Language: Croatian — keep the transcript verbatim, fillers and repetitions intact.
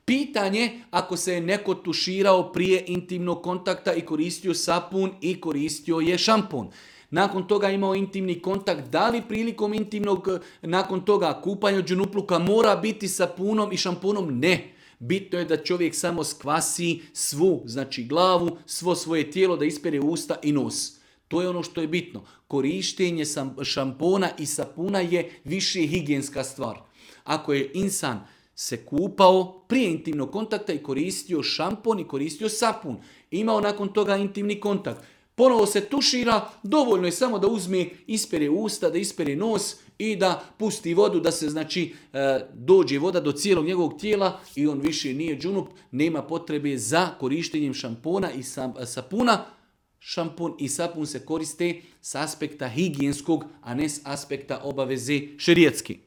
Pitanje ako se je neko tuširao prije intimnog kontakta i koristio sapun i koristio je šampon. Nakon toga imao intimni kontakt, da li prilikom intimnog, nakon toga kupanja od džunupluka mora biti sapunom i šamponom? Ne. Bitno je da čovjek samo skvasi svu, znači glavu, svo svoje tijelo, da ispere usta i nos. To je ono što je bitno. Korištenje šampona i sapuna je više higijenska stvar. Ako je insan se kupao prije intimnog kontakta i koristio šampon i koristio sapun, imao nakon toga intimni kontakt, ponovo se tušira, dovoljno je samo da uzme, ispere usta, da ispere nos i da pusti vodu, da se znači dođe voda do cijelog njegovog tijela i on više nije džunup, nema potrebe za korištenjem šampona i sapuna. Šampon i sapun se koriste s aspekta higijenskog, a ne s aspekta obaveze šerijatski.